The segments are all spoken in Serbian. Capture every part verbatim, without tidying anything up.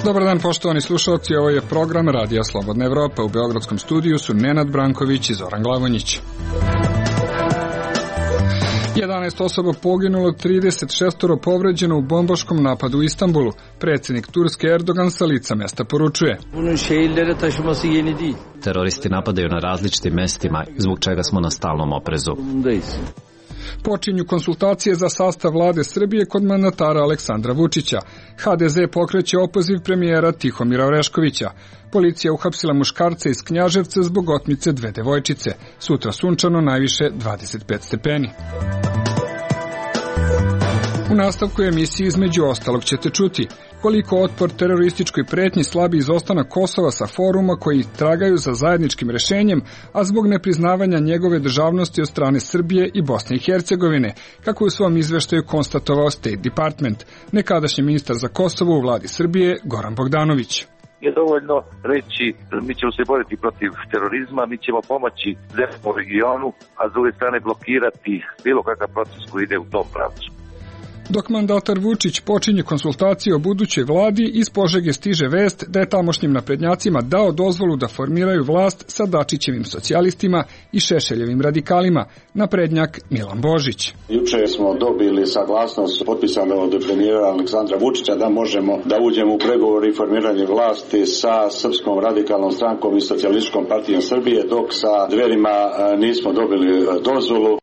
Dobar dan, poštovani slušalci, ovo je program Radija Slobodna Evropa. U beogradskom studiju su Nenad Branković i Zoran Glavonjić. jedanaest osoba poginulo, trideset šest povređeno u bombaškom napadu u Istanbulu. Predsjednik Turske Erdogan sa lica mesta poručuje: Teroristi napadaju na različitim mestima, zbog čega smo na stalnom oprezu. Počinju konsultacije za sastav vlade Srbije kod mandatara Aleksandra Vučića. ha de ze pokreće opoziv premijera Tihomira Oreškovića. Policija uhapsila muškarca iz Knjaževca zbog otmice dve devojčice. Sutra sunčano, najviše dvadeset pet stepeni. U nastavku emisije između ostalog ćete čuti koliko otpor terorističkoj pretnji slabi izostanak Kosova sa foruma koji tragaju za zajedničkim rešenjem, a zbog nepriznavanja njegove državnosti od strane Srbije i Bosne i Hercegovine, kako je u svom izveštaju konstatovao State Department. Nekadašnji ministar za Kosovo u vladi Srbije Goran Bogdanović. Je dovoljno reći, mi ćemo se boriti protiv terorizma, mi ćemo pomoći zemljama u regionu, a s druge strane blokirati bilo kakav proces koji ide u tom pravcu. Dok mandatar Vučić počinje konsultacije o budućoj vladi, iz Požege stiže vest da je tamošnjim naprednjacima dao dozvolu da formiraju vlast sa Dačićevim socijalistima i Šešeljevim radikalima. Naprednjak Milan Božić. Juče smo dobili saglasnost potpisano od premijera Aleksandra Vučića da možemo da uđemo u pregovore i formiranje vlasti sa Srpskom radikalnom strankom i Socijalističkom partijom Srbije, dok sa Dverima nismo dobili dozvolu.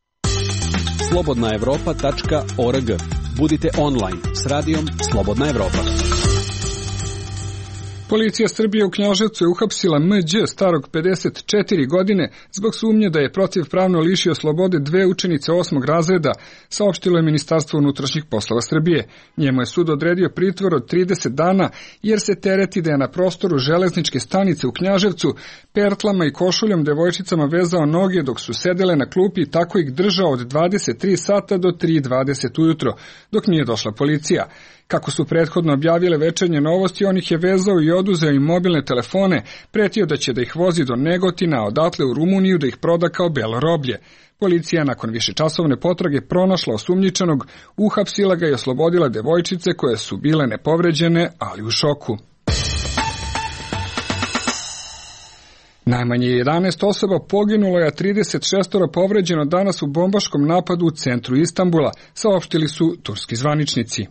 slobodna evropa tačka org. Budite online s radijom Slobodna Evropa. Policija Srbije u Knjaževcu je uhapsila em đe starog pedeset četiri godine zbog sumnje da je protivpravno lišio slobode dve učenice osmog razreda, saopštilo je Ministarstvo unutrašnjih poslova Srbije. Njemu je sud odredio pritvor od trideset dana jer se tereti da je na prostoru železničke stanice u Knjaževcu pertlama i košuljom devojčicama vezao noge dok su sedele na klupi i tako ih držao od dvadeset tri sata do tri dvadeset ujutro, dok nije došla policija. Kako su prethodno objavile Večernje novosti, on ih je vezao i oduzeo im mobilne telefone, pretio da će da ih vozi do Negotina, a odatle u Rumuniju da ih proda kao belo roblje. Policija nakon višečasovne potrage pronašla osumnjičenog, uhapsila ga i oslobodila devojčice koje su bile nepovređene, ali u šoku. Najmanje jedanaest osoba poginulo je, a trideset šest povređeno danas u bombaškom napadu u centru Istanbula, saopštili su turski zvaničnici.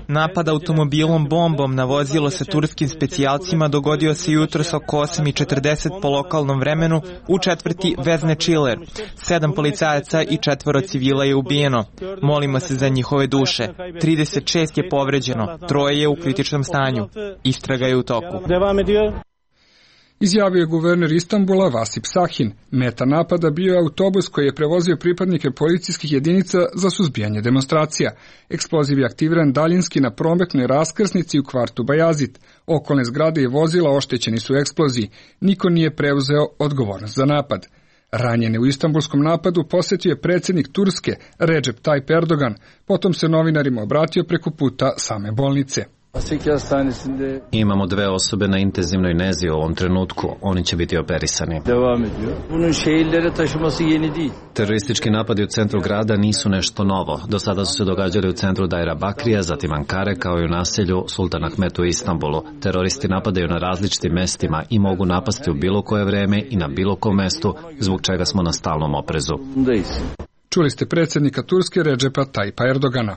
Napad automobilom bombom na vozilo sa turskim specijalcima dogodio se jutros oko osam i četrdeset po lokalnom vremenu u četvrti Vezne Čiler. Sedam policajaca i četvoro civila je ubijeno. Molimo se za njihove duše. trideset šest je povređeno, troje je u kritičnom stanju. Istraga je u toku. Izjavio je guverner Istanbula Vasip Sahin. Meta napada bio je autobus koji je prevozio pripadnike policijskih jedinica za suzbijanje demonstracija. Eksploziv je aktiviran daljinski na prometnoj raskrsnici u kvartu Bajazit. Okolne zgrade i vozila oštećeni su u eksploziji. Niko nije preuzeo odgovornost za napad. Ranjene u istanbulskom napadu posjetio je predsjednik Turske Recep Tayyip Erdogan. Potom se novinarima obratio preko puta same bolnice. Imamo dve osobe na intenzivnoj nezi u ovom trenutku. Oni će biti operisani. Teroristički napadi u centru grada nisu nešto novo. Do sada su se događali u centru Dajra Bakrija, zatim Ankare, kao i u naselju Sultan Ahmet u Istanbulu. Teroristi napadaju na različitim mestima i mogu napasti u bilo koje vreme i na bilo kom mestu, zbog čega smo na stalnom oprezu. Čuli ste predsjednika Turske Recepa Tayyipa Erdogana.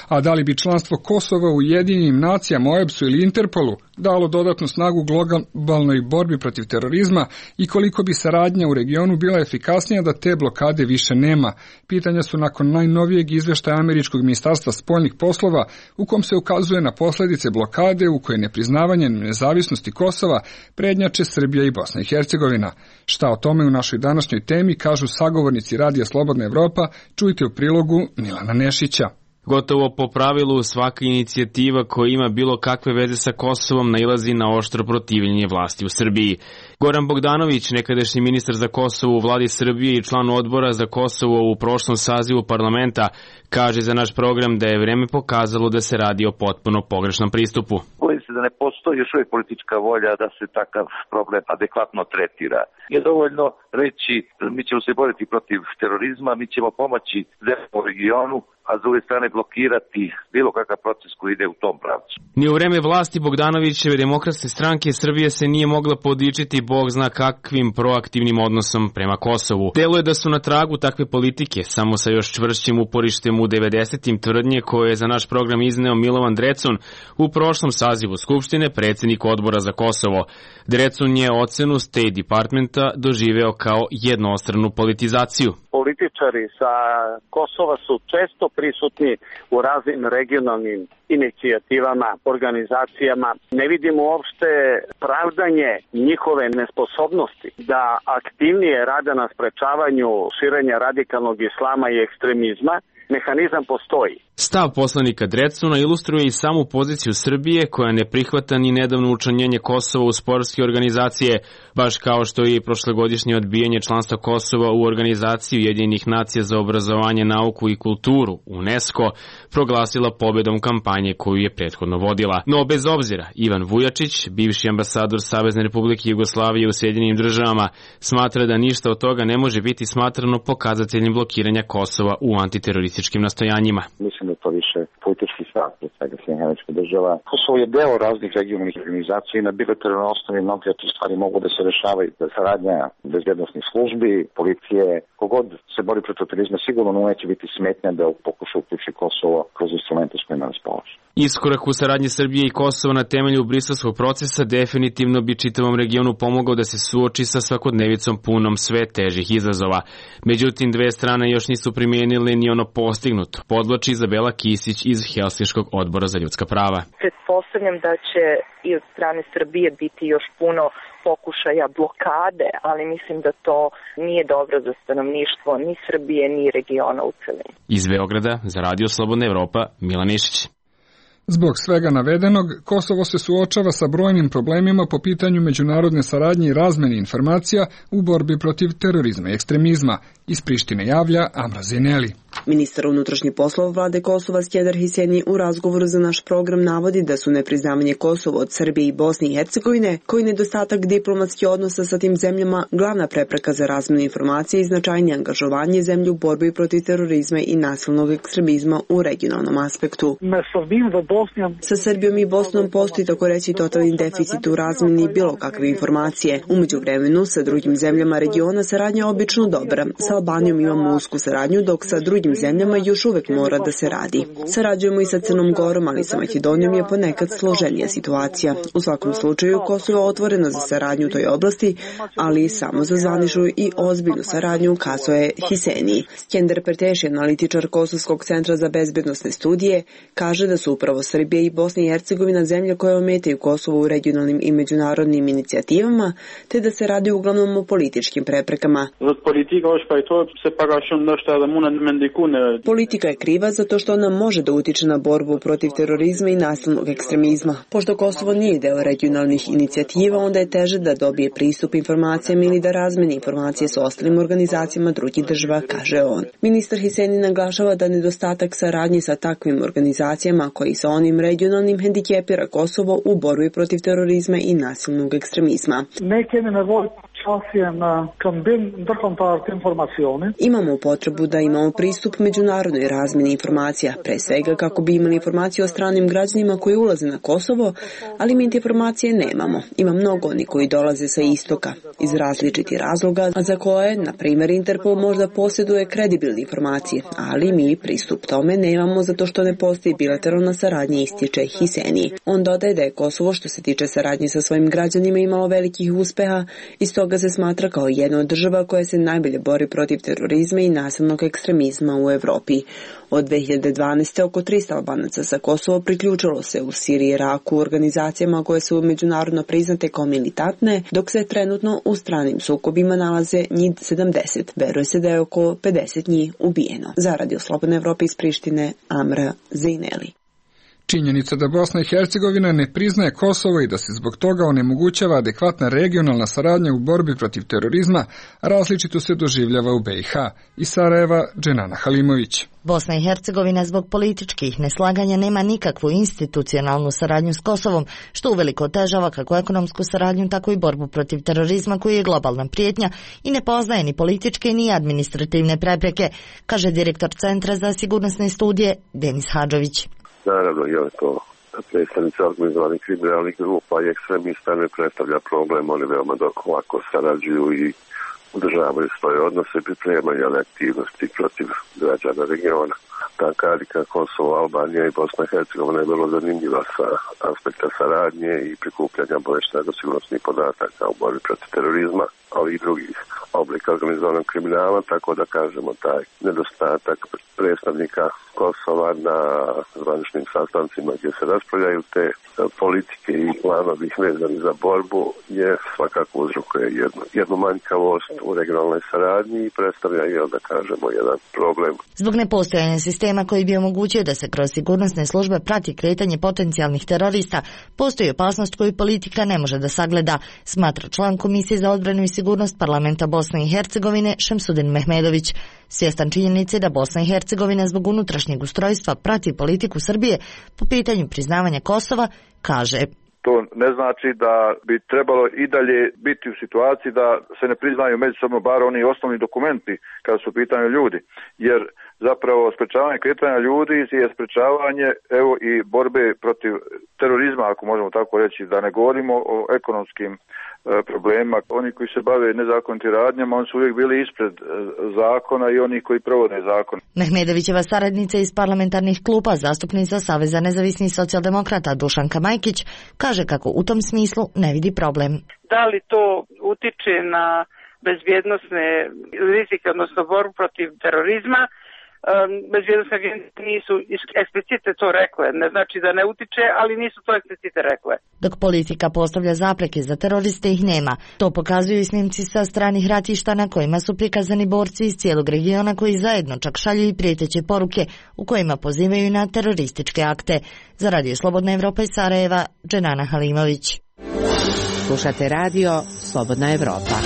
A da li bi članstvo Kosova u Ujedinjenim nacijama, O E B S-u ili Interpolu dalo dodatnu snagu globalnoj borbi protiv terorizma i koliko bi saradnja u regionu bila efikasnija da te blokade više nema? Pitanja su nakon najnovijeg izveštaja Američkog ministarstva spoljnih poslova u kom se ukazuje na posljedice blokade u kojoj nepriznavanje nezavisnosti Kosova prednjače Srbija i Bosna i Hercegovina. Šta o tome u našoj današnjoj temi kažu sagovornici Radija Slobodna Evropa, čujte u prilogu Milana Nešića. Gotovo po pravilu svaka inicijativa koja ima bilo kakve veze sa Kosovom nailazi na oštro protivljenje vlasti u Srbiji. Goran Bogdanović, nekadašnji ministar za Kosovo u vladi Srbije i član odbora za Kosovo u prošlom sazivu parlamenta, kaže za naš program da je vreme pokazalo da se radi o potpuno pogrešnom pristupu. Bojim se da ne postoji još uvijek politička volja da se takav problem adekvatno tretira. Je dovoljno reći mi ćemo se boriti protiv terorizma, mi ćemo pomoći zemljama u regionu, a s druge strane blokirati bilo kakav proces koji ide u tom pravcu. Ni u vreme vlasti Bogdanovićeve Demokratske stranke Srbije se nije mogla podičiti bog zna kakvim proaktivnim odnosom prema Kosovu. Deluje da su na tragu takve politike, samo sa još čvršćim uporištem u devedesetim tvrdnje koje je za naš program izneo Milovan Drecun u prošlom sazivu Skupštine, predsjednik odbora za Kosovo. Drecun je ocenu State Departmenta doživeo kao jednostranu politizaciju. Političari sa Kosova su često prisutni u raznim regionalnim inicijativama, organizacijama. Ne vidimo uopšte pravdanje njihove nesposobnosti da aktivnije rade na sprečavanju širenja radikalnog islama i ekstremizma. Mehanizam postoji. Stav poslanika Drecuna ilustruje i samu poziciju Srbije koja ne prihvata ni nedavno učlanjenje Kosova u sportske organizacije, baš kao što je i prošlogodišnje odbijanje članstva Kosova u organizaciji Ujedinjenih nacija za obrazovanje, nauku i kulturu, UNESCO, proglasila pobedom kampanje koju je prethodno vodila. No bez obzira, Ivan Vujačić, bivši ambasador Savezne Republike Jugoslavije u Sjedinjenim državama, smatra da ništa od toga ne može biti smatrano pokazateljem blokiranja Kosova u antiterorističkim nastojanjima. Mislim da to više politički stav od svega Sjedinjenih Američkih Država. Kosovo je deo raznih regionalnih organizacija i na bilateralnoj osnovi mnoge te stvari mogu da se rešavaju. Saradnja bezbednosnih službi, policije, kogod se bori protiv terorizma sigurno neće biti smetnja da pokuša uključi Kosovo kroz instrumente s kojima raspolaže. Iskorak u saradnji Srbije i Kosova na temelju briselskog procesa definitivno bi čitavom regionu pomogao da se suoči sa svakodnevicom punom sve težih izazova. Međutim, dve strane još nisu primijenili ni ono postignuto, podvlači Izabela Kisić iz Helsinškog odbora za ljudska prava. Pretpostavljam da će i od strane Srbije biti još puno pokušaja blokade, ali mislim da to nije dobro za stanovništvo ni Srbije ni regiona u celini. Iz Beograda za Radio Slobodna Evropa, Milan Išić. Zbog svega navedenog, Kosovo se suočava sa brojnim problemima po pitanju međunarodne saradnje i razmene informacija u borbi protiv terorizma i ekstremizma. Iz Prištine javlja Amra Zineli. Ministar unutrašnjih poslova vlade Kosova Skender Hiseni u razgovoru za naš program navodi da su nepriznavanje Kosova od Srbije i Bosne i Hercegovine, koji nedostatak diplomatskih odnosa sa tim zemljama, glavna prepreka za razmenu informacije i značajnije angažovanje zemlje u borbi protiv terorizma i nasilnog ekstremizma u regionalnom aspektu. Sa Srbijom i Bosnom postoji tako reći totalni deficit u razmeni bilo kakve informacije. U međuvremenu sa drugim zemljama regiona saradnja je obično dobra. Sa Albanijom imamo usku saradnju, dok sa drugim zemljama još uvek mora da se radi. Sarađujemo i sa Crnom Gorom, ali sa Makedonijom je ponekad složenija situacija. U svakom slučaju, Kosovo je otvoreno za saradnju u toj oblasti, ali samo za zvaničnu i ozbiljnu saradnju, ukazuje Hiseni. Skender Perteši, analitičar Kosovskog centra za bezbednosne studije, kaže da su upravo Srbija i Bosna i Hercegovina zemlje koje ometaju Kosovo u regionalnim i međunarodnim inicijativama, te da se radi uglavnom o političkim preprekama. Politika je kriva zato što ona može da utiče na borbu protiv terorizma i nasilnog ekstremizma. Pošto Kosovo nije deo regionalnih inicijativa, onda je teže da dobije pristup informacijama ili da razmeni informacije s ostalim organizacijama drugih država, kaže on. Ministar Hiseni naglašava da nedostatak saradnje sa takvim organizacijama koji sa onim regionalnim hendikepira Kosovo u borbi protiv terorizma i nasilnog ekstremizma. Imamo potrebu da imamo pristup međunarodnoj razmjeni informacija, pre svega kako bi imali informacije o stranim građanima koji ulaze na Kosovo, ali mi te informacije nemamo. Ima mnogo oni koji dolaze sa istoka, iz različitih razloga, a za koje, na primjer, Interpol možda posjeduje kredibilne informacije, ali mi pristup tome nemamo zato što ne postoji bilateralna saradnja, ističe Hiseni. On dodaje da je Kosovo što se tiče saradnje sa svojim građanima imalo velikih uspeha i stoga se smatra kao jedna od država koja se najbolje bori protiv terorizma i nasilnog ekstremizma u Evropi. Od dve hiljade dvanaeste. oko trista Albanaca sa Kosova priključilo se u Siriji i Iraku organizacijama koje su međunarodno priznate kao militantne, dok se trenutno u stranim sukobima nalaze njih sedamdeset. Veruje se da je oko pedeset njih ubijeno. Za Radio Slobodna Evropa iz Prištine, Amra Zineli. Činjenica da Bosna i Hercegovina ne priznaje Kosovo i da se zbog toga onemogućava adekvatna regionalna saradnja u borbi protiv terorizma različito se doživljava u be i ha. Iz Sarajeva, Dženana Halimović. Bosna i Hercegovina zbog političkih neslaganja nema nikakvu institucionalnu saradnju s Kosovom, što uveliko otežava kako ekonomsku saradnju, tako i borbu protiv terorizma koji je globalna prijetnja i ne poznaje ni političke ni administrativne prepreke, kaže direktor Centra za sigurnosne studije Denis Hadžović. Naravno, je to predstavnici organizovanih kriminalnih grupa i ekstremista ne predstavlja problem, oni veoma lako sarađuju i udržavaju svoje odnose i pripremaju aktivnosti protiv građana regiona. Ta karika Kosovo, Albanija i Bosna i Hercegovina je vrlo zanimljiva sa aspekta saradnje i prikupljanja obavještajno-sigurnosnih podataka u borbi protiv terorizma, ali i drugih oblika organizovanog kriminala, tako da kažemo taj nedostatak predstavnika Kosova na zvaničnim sastancima gdje se raspravljaju te politike i planovi vezani za borbu je svakako uzrokuje jednu, jednu manjkavost u regionalnoj saradnji i predstavlja, jel da kažemo, jedan problem. Zbog nepostojanja sistema koji bi omogućio da se kroz sigurnosne službe prati kretanje potencijalnih terorista, postoji opasnost koju politika ne može da sagleda, smatra član Komisije za odbranu i sigurnost Parlamenta Bosne i Hercegovine Šemsudin Mehmedović. Svjestan činjenice da Bosna i Hercegovina zbog unutrašnjeg ustrojstva prati politiku Srbije po pitanju priznavanja Kosova, kaže: To ne znači da bi trebalo i dalje biti u situaciji da se ne priznaju međusobno bar oni osnovni dokumenti kada su u pitanju ljudi, jer zapravo sprečavanje kretanja ljudi je sprečavanje evo i borbe protiv terorizma, ako možemo tako reći, da ne govorimo o ekonomskim e, problemima. Oni koji se bave nezakonitim radnjama, oni su uvijek bili ispred e, zakona i oni koji provode zakon. Mehmedovićeva saradnica iz parlamentarnih klupa, zastupnica Saveza nezavisnih socijaldemokrata Dušanka Majkić, kaže kako u tom smislu ne vidi problem. Da li to utiče na bezbjednosne rizike, odnosno borbu protiv terorizma? Bezbjednostne agencije nisu eksplicite to rekle, ne znači da ne utiče, ali nisu to eksplicite rekle. Dok politika postavlja zapreke za teroriste, ih nema. To pokazuju i snimci sa stranih ratišta na kojima su prikazani borci iz cijelog regiona koji zajedno čak šalju i prijeteće poruke u kojima pozivaju na terorističke akte. Za Radio Slobodna Evropa iz Sarajeva, Dženana Halimović. Slušate radio Slobodna Evropa.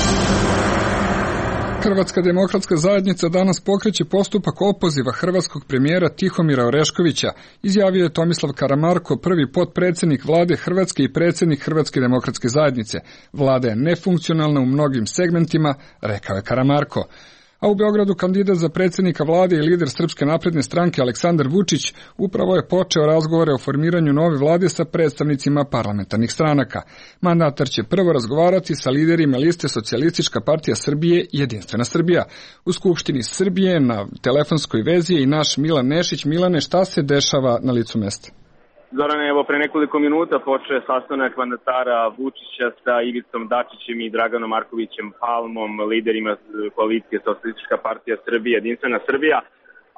Hrvatska demokratska zajednica danas pokreće postupak opoziva hrvatskog premijera Tihomira Oreškovića, izjavio je Tomislav Karamarko, prvi potpredsjednik vlade Hrvatske i predsjednik Hrvatske demokratske zajednice. Vlada je nefunkcionalna u mnogim segmentima, rekao je Karamarko. A u Beogradu kandidat za predsjednika vlade i lider Srpske napredne stranke Aleksandar Vučić upravo je počeo razgovore o formiranju nove vlade sa predstavnicima parlamentarnih stranaka. Mandatar će prvo razgovarati sa liderima liste Socijalistička partija Srbije i Jedinstvena Srbija. U Skupštini Srbije na telefonskoj vezi je i naš Milan Nešić. Milane, šta se dešava na licu mesta? Zorane, evo pre nekoliko minuta počeo sastanak mandatara Vučića sa Ivicom Dačićem i Draganom Markovićem Palmom, liderima koalicije Socijalistička partija Srbije, Jedinstvena Srbija.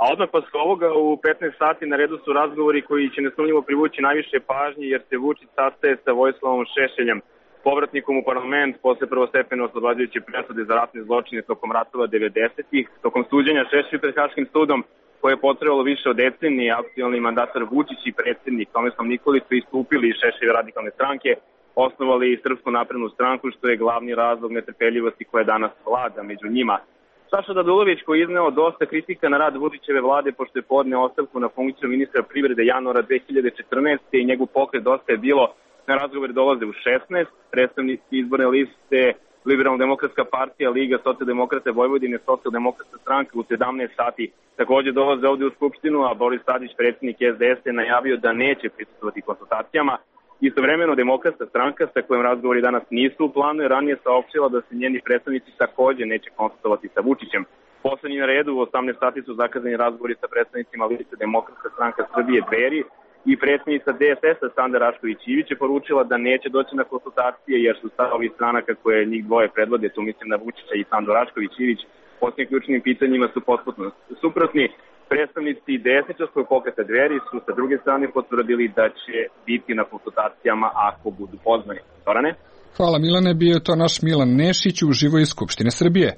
A odmah posle ovoga u petnaest sati na redu su razgovori koji će nesumnjivo privući najviše pažnje, jer se Vučić sastaje sa Vojislavom Šešeljem, povratnikom u parlament posle prvostepene oslobađajuće presude za ratne zločine tokom ratova devedesetih. Tokom suđenja Šešelju pred Haškim sudom, koje je potrebalo više od decenije, aktualni mandatar Vučić i predsjednik Tomislav Nikolić su istupili iz Šešeljeve radikalne stranke, osnovali Srpsku naprednu stranku, što je glavni razlog netrpeljivosti koja danas vlada među njima. Saša Radulović, koji je izneo dosta kritika na rad Vučićeve vlade pošto je podneo ostavku na funkciju ministra privrede januara dve hiljade četrnaeste. i njegov pokret Dosta je bilo na razgovor dolaze u šesnaest, predstavnici izborne liste Liberalno-demokratska partija, Liga socijaldemokrata Vojvodine, socijaldemokratska stranka u sedamnaest sati također dolaze ovdje u Skupštinu, a Boris Tadić, predsjednik es de es, je najavio da neće prisustvovati konsultacijama. Istovremeno demokratska stranka, sa kojom razgovori danas nisu u planu, je ranije saopštila da se njeni predstavnici također neće konsultovati sa Vučićem. Poslednji na redu u osamnaest sati su zakazani razgovori sa predstavnicima liste Demokratska stranka Srbije Dveri, i predsjednica de es es-a Sanda Rašković-Ivić je poručila da neće doći na konsultacije jer su stavovi stranaka koje njih dvoje predvode, tu mislim na Vučića i Sandu Rašković-Ivić, posljednjim ključnim pitanjima su potpuno suprotni. Predstavnici desničarskog pokreta Dveri su sa druge strane potvrdili da će biti na konsultacijama ako budu pozvani. Zorane? Hvala Milane, bio je to naš Milan Nešić uživo iz Skupštine Srbije.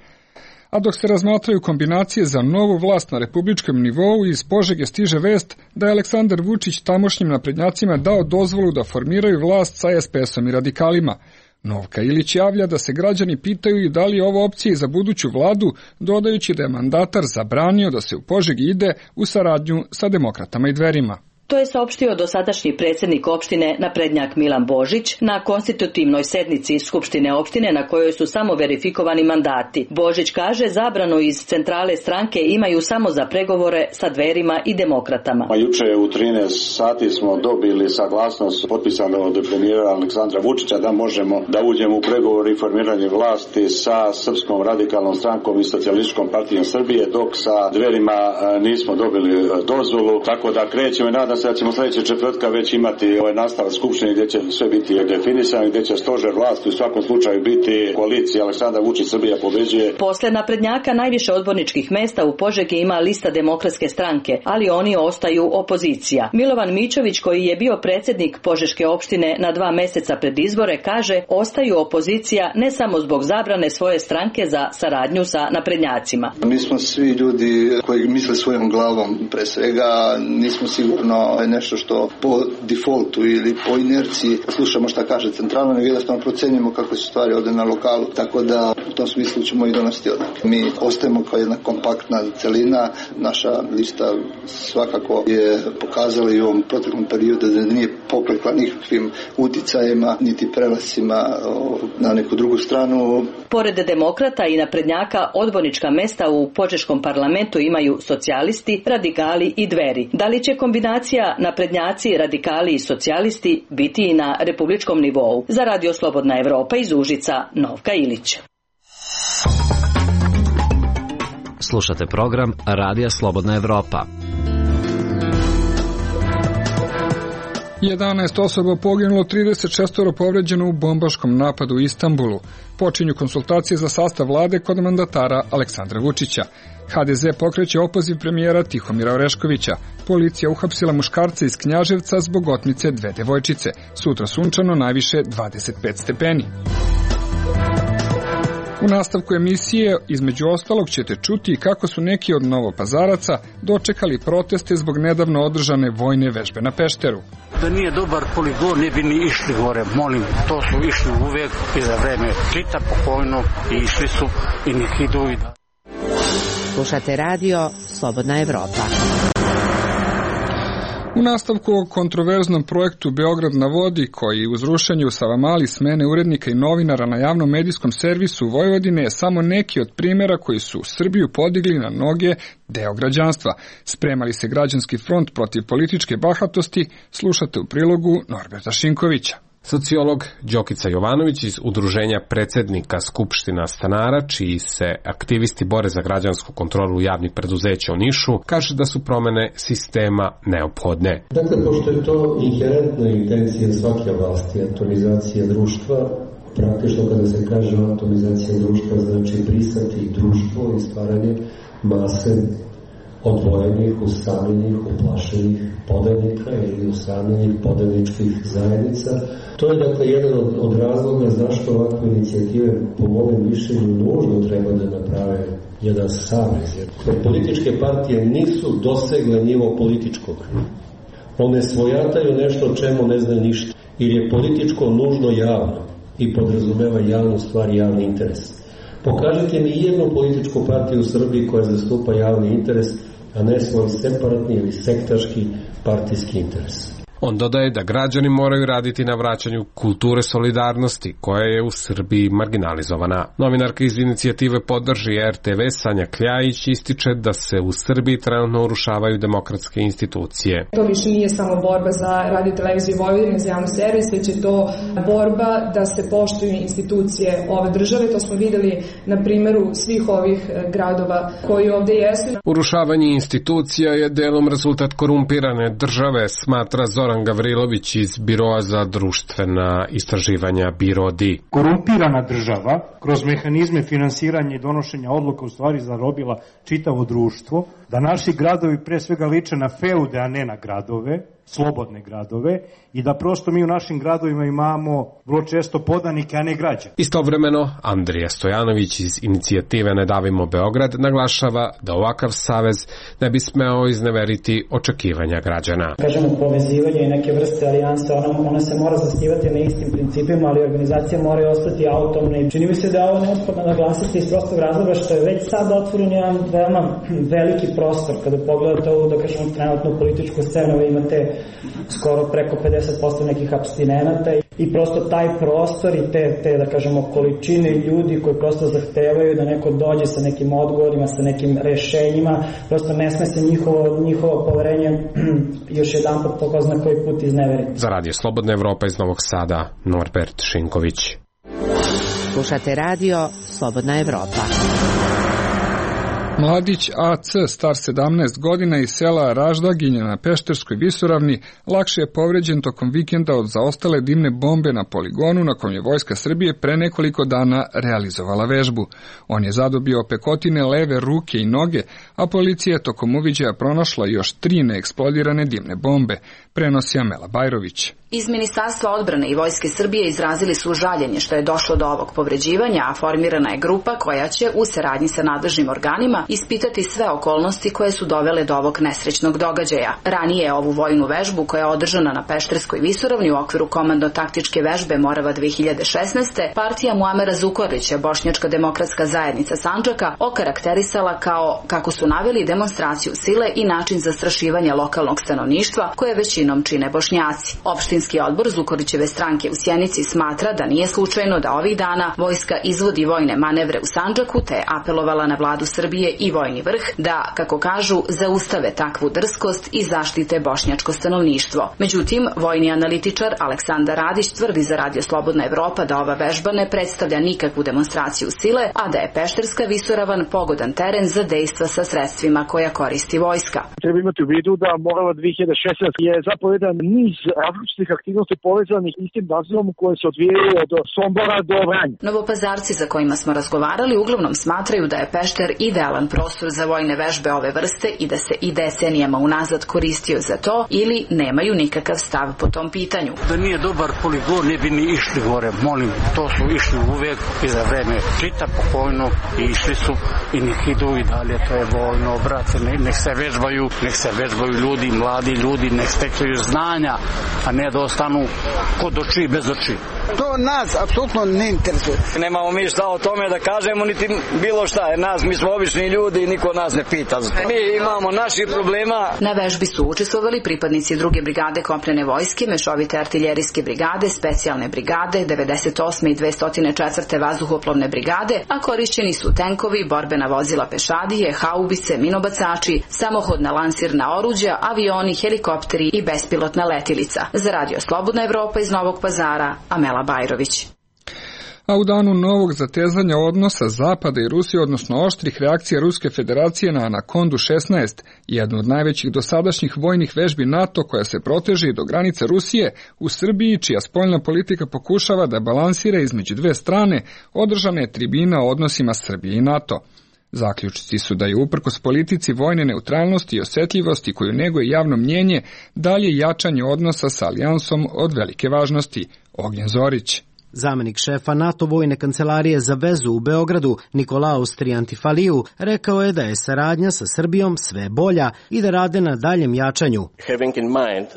A dok se razmatraju kombinacije za novu vlast na republičkom nivou, iz Požege stiže vest da je Aleksandar Vučić tamošnjim naprednjacima dao dozvolu da formiraju vlast sa es pe esom i radikalima. Novka Ilić javlja da se građani pitaju i da li je ovo opcija za buduću vladu, dodajući da je mandatar zabranio da se u Požegi ide u saradnju sa demokratama i Dverima. To je saopštio dosadašnji predsjednik opštine naprednjak Milan Božić na konstitutivnoj sednici Skupštine opštine na kojoj su samo verifikovani mandati. Božić kaže zabranu iz centrale stranke imaju samo za pregovore sa Dverima i demokratama. Juče u trinaest sati smo dobili saglasnost potpisane od premijera Aleksandra Vučića da možemo da uđemo u pregovor i formiranje vlasti sa Srpskom radikalnom strankom i Socijalističkom partijom Srbije, dok sa Dverima nismo dobili dozvolu, tako da krećemo i nadam se da ćemo sljedeće četvrtka već imati ovaj nastavak skupštine gdje će sve biti definisano, gdje će stožer vlasti u svakom slučaju biti koalicija Aleksandar Vučić Srbija pobeđuje. Posle naprednjaka najviše odborničkih mesta u Požegi ima lista Demokratske stranke, ali oni ostaju opozicija. Milovan Mićović, koji je bio predsjednik Požeške opštine na dva meseca pred izbore, kaže ostaju opozicija ne samo zbog zabrane svoje stranke za saradnju sa naprednjacima. Mi smo svi ljudi koji misle svojom glavom, pre svega nismo sigurno nešto što po defaultu ili po inerciji slušamo šta kaže centralno, nego jednostavno procenjujemo kako su stvari ovdje na lokalu, tako da u tom smislu ćemo i donositi odluke. Mi ostajemo kao jedna kompaktna celina, naša lista svakako je pokazala i u ovom proteklom periodu da nije poklekla nikakvim uticajima niti prelasima na neku drugu stranu. Pored demokrata i naprednjaka, odbornička mesta u Požeškom parlamentu imaju socijalisti, radikali i Dveri. Da li će kombinacija naprednjaci, radikali i socijalisti biti i na republičkom nivou? Za Radio Slobodna Evropa iz Užica, Novka Ilić. Slušate program Radija Slobodna Evropa. jedanaest osoba poginulo, trideset šest povređeno u bombaškom napadu u Istanbulu. Počinju konsultacije za sastav vlade kod mandatara Aleksandra Vučića. ha de ze pokreće opoziv premijera Tihomira Oreškovića. Policija uhapsila muškarca iz Knjaževca zbog otmice dve devojčice. Sutra sunčano, najviše dvadeset pet stepeni. U nastavku emisije, između ostalog, ćete čuti kako su neki od novopazaraca dočekali proteste zbog nedavno održane vojne vežbe na Pešteru. Da nije dobar poligon, ne bi ni išli gore, molim, to su išli uvek i za vreme Tita pokojno i išli su i nek idu i da. Slušate radio Slobodna Evropa. U nastavku o kontroverznom projektu Beograd na vodi, koji uz rušenje u Savamali smene urednika i novinara na javnom medijskom servisu Vojvodine je samo neki od primjera koji su Srbiju podigli na noge deo građanstva. Spremali se građanski front protiv političke bahatosti, slušate u prilogu Norberta Šinkovića. Sociolog Đokica Jovanović iz Udruženja predsjednika Skupština stanara, čiji se aktivisti bore za građansku kontrolu javnih preduzeća u Nišu, kaže da su promene sistema neophodne. Dakle, pošto je to inherentna intencija svake vlasti, atomizacija društva, praktično kada se kaže atomizacija društva znači brisati društvo i stvaranje mase odvojenih, usamljenih, uplašenih podanika ili usamljenih podaničkih zajednica. To je dakle jedan od, od razloga zašto ovakve inicijative po mojom mišljenju nužno treba da naprave jedan savez. Jer političke partije nisu dosegle nivo političkog. One svojataju nešto o čemu ne znaju ništa. Jer je političko nužno javno i podrazumeva javnu stvar i javni interes. Pokažite mi jednu političku partiju u Srbiji koja zastupa javni interes, a ne svoj separatni ili sektaški partijski interes. On dodaje da građani moraju raditi na vraćanju kulture solidarnosti, koja je u Srbiji marginalizovana. Novinarka iz inicijative Podrži er te ve Sanja Kljajić ističe da se u Srbiji trenutno urušavaju demokratske institucije. To više nije samo borba za Radio televiziju Vojvodine, za javni servis, već je to borba da se poštuju institucije ove države. To smo videli na primjeru svih ovih gradova koji ovdje jesu. Urušavanje institucija je delom rezultat korumpirane države, smatra Zoran Gavrilović iz Biroa za društvena istraživanja Birodi. Korumpirana država kroz mehanizme finansiranja i donošenja odluka u stvari zarobila čitavo društvo, da naši gradovi pre svega liče na feude, a ne na gradove, slobodne gradove i da prosto mi u našim gradovima imamo vrlo često podanike, a ne građane. Istovremeno, Andrija Stojanović iz inicijative Ne davimo Beograd naglašava da ovakav savez ne bi smeo izneveriti očekivanja građana. Kažemo, povezivanje i neke vrste alijanse, ona, ona se mora zasnivati na istim principima, ali organizacije moraju ostati autonomne. Čini mi se da je ovo neophodno naglasiti iz prostog razloga što je već sad otvoren jedan veoma veliki prostor. Kada pogledate ovu, da kažemo, trenutnu političku scenu, vi imate skoro preko pedeset posto nekih apstinenata i prosto taj prostor i te, te, da kažemo, količine ljudi koji prosto zahtevaju da neko dođe sa nekim odgovorima, sa nekim rešenjima, prosto ne sme se njihovo, njihovo poverenje još jedan pot po zna koji put izneveriti. Za Radio Slobodna Evropa iz Novog Sada, Norbert Šinković. Slušate radio Slobodna Evropa. Mladić A C, star sedamnaest godina iz sela Raždaginje na Pešterskoj visoravni, lakše je povređen tokom vikenda od zaostale dimne bombe na poligonu na kom je Vojska Srbije pre nekoliko dana realizovala vežbu. On je zadobio pekotine leve ruke i noge, a policija je tokom uviđaja pronašla još tri neeksplodirane dimne bombe, prenosi Amela Bajrović. Iz Ministarstva odbrane i Vojske Srbije izrazili su žaljenje što je došlo do ovog povređivanja, a formirana je grupa koja će u saradnji sa nadležnim organima ispitati sve okolnosti koje su dovele do ovog nesrećnog događaja. Ranije je ovu vojnu vežbu koja je održana na Pešterskoj visoravni u okviru komandno-taktičke vežbe Morava dve hiljade šesnaeste. partija Muamera Zukorlića, Bošnjačka demokratska zajednica Sandžaka, okarakterisala kao, kako su naveli, demonstraciju sile i način zastrašivanja lokalnog stanovništva koje većinom čine Bošnjaci. Opštinski odbor Zukorlićeve stranke u Sjenici smatra da nije slučajno da ovih dana vojska izvodi vojne manevre u Sandžaku, te je apelovala na vladu Srbije i vojni vrh da, kako kažu, zaustave takvu drskost i zaštite bošnjačko stanovništvo. Međutim, vojni analitičar Aleksandar Radić tvrdi za Radio Slobodna Evropa da ova vežba ne predstavlja nikakvu demonstraciju sile, a da je Pešterska visoravan pogodan teren za dejstva sa sredstvima koja koristi vojska. Treba imati u vidu da Morava dve hiljade šesnaeste je zapravo jedan niz različitih aktivnosti povezanih istim nazivom koje se odvijaju od Sombora do Vranja. Novopazarci za kojima smo razgovarali uglavnom smatraju da je Pešter idealan prostor za vojne vežbe ove vrste i da se i decenijama unazad koristio za to ili nemaju nikakav stav po tom pitanju. Da nije dobar poligon ne bi ni išli gore, molim, to su išli uvek i za vreme Tita pokojno i išli su i nek idu i dalje, to je vojno, brate, nek se vežbaju, nek se vežbaju ljudi, mladi ljudi, nek stekaju znanja, a ne da ostanu kod oči bez oči. To nas apsolutno ne interesuje. Nemamo mi šta o tome da kažemo, niti bilo šta, jer nas, mi smo obični ljudi i niko nas ne pita. Mi imamo naših problema. Na vežbi su učestvovali pripadnici druge brigade kopnene vojske, mešovite artiljerijske brigade, specijalne brigade, devedeset osme i dvesta četvrte vazduhoplovne brigade, a korišćeni su tenkovi, borbena vozila pešadije, haubice, minobacači, samohodna lansirna oruđa, avioni, helikopteri i bespilotna letilica. Za Radio Slobodna Evropa iz Novog Pazara, Amela Bajrović. A u danu novog zatezanja odnosa Zapada i Rusije, odnosno oštrih reakcija Ruske federacije na Anakondu šesnaest, jednu od najvećih dosadašnjih vojnih vežbi NATO koja se proteže do granice Rusije, u Srbiji, čija spoljna politika pokušava da balansira između dve strane, održana je tribina o odnosima Srbije i NATO. Zaključci su da je uprkos politici vojne neutralnosti i osjetljivosti koju neguje javno mnjenje, dalje jačanje odnosa sa alijansom od velike važnosti. Ognjen Zorić. Zamenik šefa NATO vojne kancelarije za vezu u Beogradu, Nikolaus Triantifaliju, rekao je da je saradnja sa Srbijom sve bolja i da rade na daljem jačanju.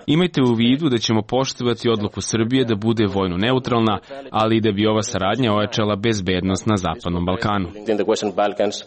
Imajte u vidu da ćemo poštovati odluku Srbije da bude vojno neutralna, ali i da bi ova saradnja ojačala bezbednost na Zapadnom Balkanu.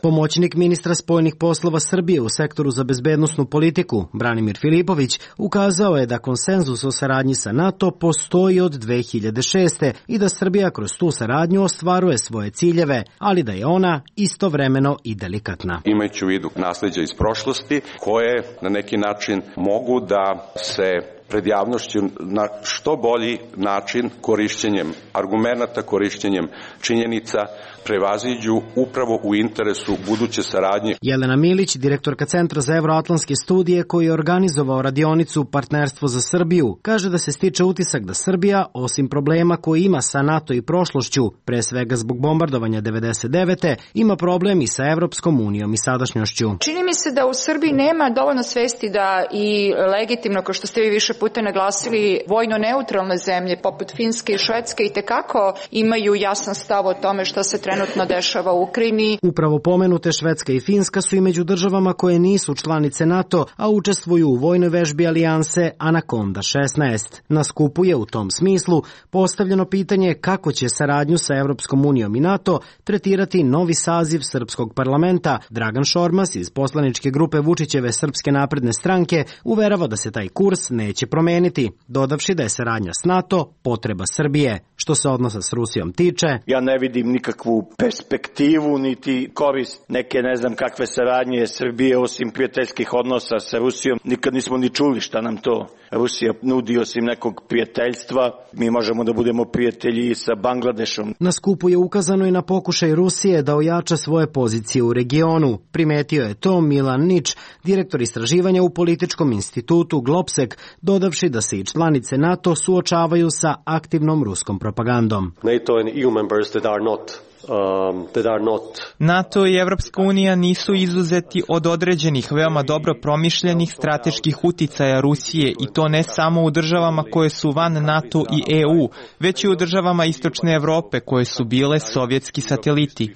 Pomoćnik ministra spoljnih poslova Srbije u sektoru za bezbednosnu politiku, Branimir Filipović, ukazao je da konsenzus o saradnji sa NATO postoji od dve hiljade šeste. i da Srbija kroz tu saradnju ostvaruje svoje ciljeve, ali da je ona istovremeno i delikatna. Imajući u vidu nasljeđa iz prošlosti, koje na neki način mogu da se pred javnošću na što bolji način korišćenjem argumenata, korišćenjem činjenica prevaziđu upravo u interesu buduće saradnje. Jelena Milić, direktorka Centra za evroatlantske studije koji je organizovao radionicu Partnerstvo za Srbiju, kaže da se stiče utisak da Srbija, osim problema koji ima sa NATO i prošlošću, pre svega zbog bombardovanja devedeset devete, ima problem i sa Evropskom unijom i sadašnjošću. Čini mi se da u Srbiji nema dovoljno svesti da i legitimno, kao što ste vi više puta naglasili, vojno neutralne zemlje poput Finske i Švedske i tekako imaju jasan stav o tome što se trenutno dešava u Ukrajini. Upravo pomenute Švedska i Finska su i među državama koje nisu članice NATO, a učestvuju u vojnoj vežbi alijanse Anaconda šesnaest. Na skupu je u tom smislu postavljeno pitanje kako će saradnju sa Evropskom unijom i NATO tretirati novi saziv srpskog parlamenta. Dragan Šormaz iz poslaničke grupe Vučićeve Srpske napredne stranke uverava da se taj kurs neće promeniti, dodavši da je saradnja s NATO potreba Srbije. Što se odnosa s Rusijom tiče, ja ne vidim nikakvu perspektivu niti korist neke ne znam kakve saradnje Srbije osim prijateljskih odnosa sa Rusijom. Nikad nismo ni čuli šta nam to Rusija nudi osim nekog prijateljstva. Mi možemo da budemo prijatelji sa Bangladešom. Na skupu je ukazano i na pokušaj Rusije da ojača svoje pozicije u regionu. Primetio je to Milan Nič, direktor istraživanja u političkom institutu Globsek, dodavši da se i članice NATO suočavaju sa aktivnom ruskom propagandom. NATO and E U members that are not Um, that are not... NATO i Evropska unija nisu izuzeti od određenih veoma dobro promišljenih strateških uticaja Rusije i to ne samo u državama koje su van NATO i E U, već i u državama Istočne Evrope koje su bile sovjetski sateliti.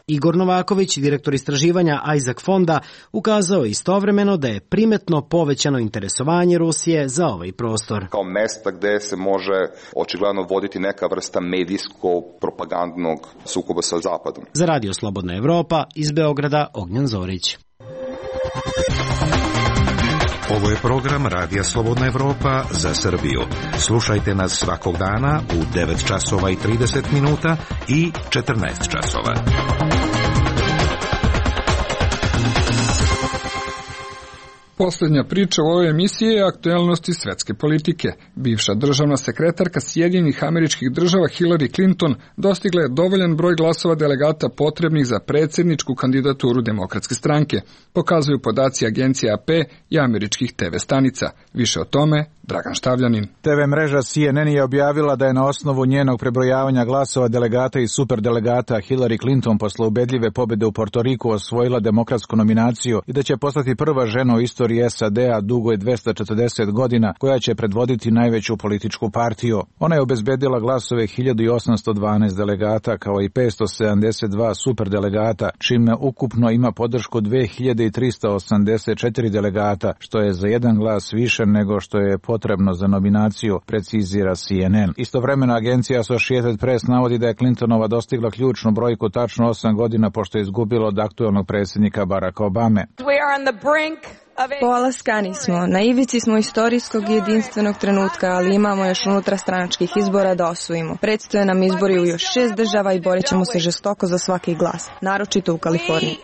Igor Novaković, direktor istraživanja Isaac Fonda, ukazao je istovremeno da je primetno povećano interesovanje Rusije za ovaj prostor. Kao mesta gde se može očigledno voditi neka vrsta medijsko propagandnog sukoba sa Zapadom. Za Radio Slobodna Evropa, iz Beograda, Ognjan Zorić. Ovo je program Radija Slobodna Evropa za Srbiju. Slušajte nas svakog dana u devet časova i trideset minuta i četrnaest časova. Poslednja priča u ovoj emisiji je aktuelnosti svetske politike. Bivša državna sekretarka Sjedinjenih Američkih Država Hillary Clinton dostigla je dovoljan broj glasova delegata potrebnih za predsjedničku kandidaturu Demokratske stranke, pokazuju podaci agencije A P i američkih te ve stanica. Više o tome Dragan Štavljanin. te ve mreža C N N je objavila da je na osnovu njenog prebrojavanja glasova delegata i superdelegata Hillary Clinton posle ubedljive pobjede u Portoriku osvojila demokratsku nominaciju i da će postati prva žena u istoriji S A D-a dugoj dvesta četrdeset godina koja će predvoditi najveću političku partiju. Ona je obezbedila glasove hiljadu osamsto dvanaest delegata kao i petsto sedamdeset dva superdelegata, čime ukupno ima podršku dve hiljade trista osamdeset četiri delegata, što je za jedan glas više nego što je potrebno za nominaciju, precizira C N N. Istovremeno agencija Associated Press navodi da je Clintonova dostigla ključnu brojku tačno osam godina pošto je izgubila od aktuelnog predsjednika Baracka Obame. Polaskani smo, na ivici smo istorijskog i jedinstvenog trenutka, ali imamo još unutrastranačkih izbora da osvojimo. Predstoje nam izbori u još šest država i borit ćemo se žestoko za svaki glas, naročito u Kaliforniji.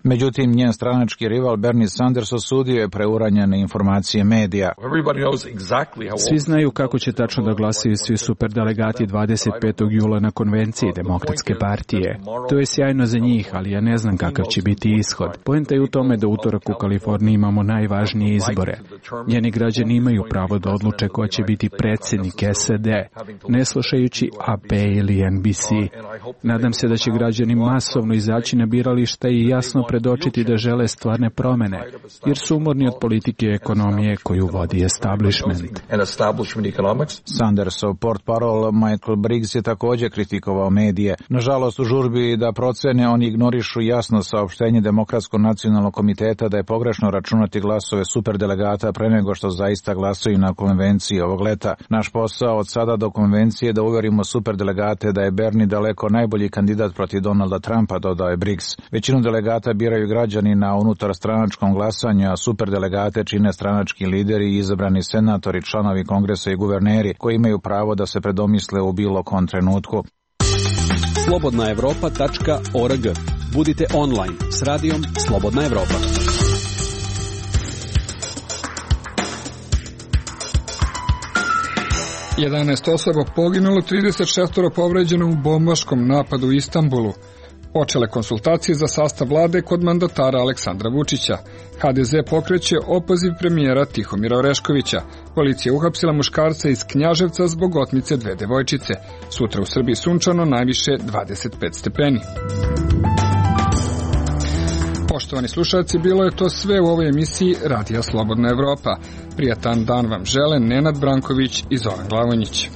Međutim, njen stranački rival Bernie Sanders osudio je preuranjene informacije medija. Svi znaju kako će tačno da glasaju svi superdelegati dvadeset petog jula na konvenciji Demokratske partije. To je sjajno za njih, ali ja ne znam kakav će biti ishod. Poenta je u tome da utorak u Kaliforniji imamo najvažnije izbore. Njeni građani imaju pravo da odluče ko će biti predsjednik S A D, ne slušajući A P ili N B C. Nadam se da će građani masovno izaći na birališta i jasno predočiti da žele stvarne promene, jer su umorni od politike i ekonomije koju vodi establishment. Sandersov portparol Michael Briggs je također kritikovao medije. Nažalost, u žurbi da procene oni ignorišu jasno saopštenje Demokratskog nacionalnog komiteta da je pogrešno računati glasove superdelegata pre nego što zaista glasuju na konvenciji ovog leta. Naš posao od sada do konvencije je da uverimo superdelegate da je Bernie daleko najbolji kandidat protiv Donalda Trumpa, dodao je Briggs. Većinu delegata biraju građani na unutarstranačkom glasanju, a superdelegate čine stranački lideri i izabrani senatori, članovi kongresa i guverneri koji imaju pravo da se predomisle u bilo kom trenutku. slobodna evropa tačka org. Budite online s radijom Slobodna Evropa. jedanaest osoba poginulo, trideset šest povređeno u bombaškom napadu u Istanbulu. Počele konsultacije za sastav vlade kod mandatara Aleksandra Vučića. H D Z pokreće opoziv premijera Tihomira Oreškovića. Policija uhapsila muškarca iz Knjaževca zbog otmice dve devojčice. Sutra u Srbiji sunčano, najviše dvadeset pet stepeni. Poštovani slušalci, bilo je to sve u ovoj emisiji Radija Slobodna Evropa. Prijatan dan vam žele Nenad Branković i Zoran Glavonjić.